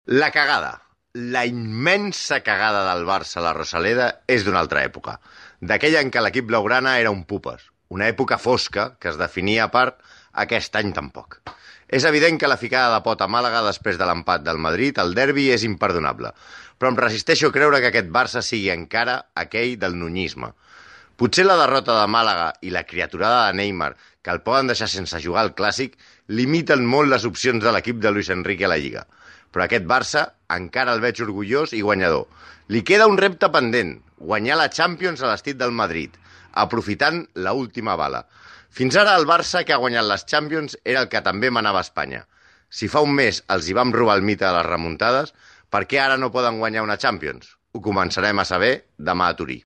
La cagada, la immensa cagada del Barça a la Rosaleda és d'una altra època, d'aquella en què l'equip blaugrana era un pupes, una època fosca que es definia a part aquest any tampoc. És evident que la ficada de pot a Màlaga després de l'empat del Madrid, el derbi, és imperdonable, però em resisteixo a creure que aquest Barça sigui encara aquell del nunyisme. Potser la derrota de Màlaga i la criaturada de Neymar, que el poden deixar sense jugar al Clàssic, limiten molt les opcions de l'equip de Luis Enrique a la Lliga. Però aquest Barça encara el veig orgullós i guanyador. Li queda un repte pendent, guanyar la Champions a l'estil del Madrid, aprofitant la última bala. Fins ara el Barça que ha guanyat les Champions era el que també manava a Espanya. Si fa un mes els hi vam robar el mite de les remuntades, per què ara no poden guanyar una Champions? Ho començarem a saber demà a Turí.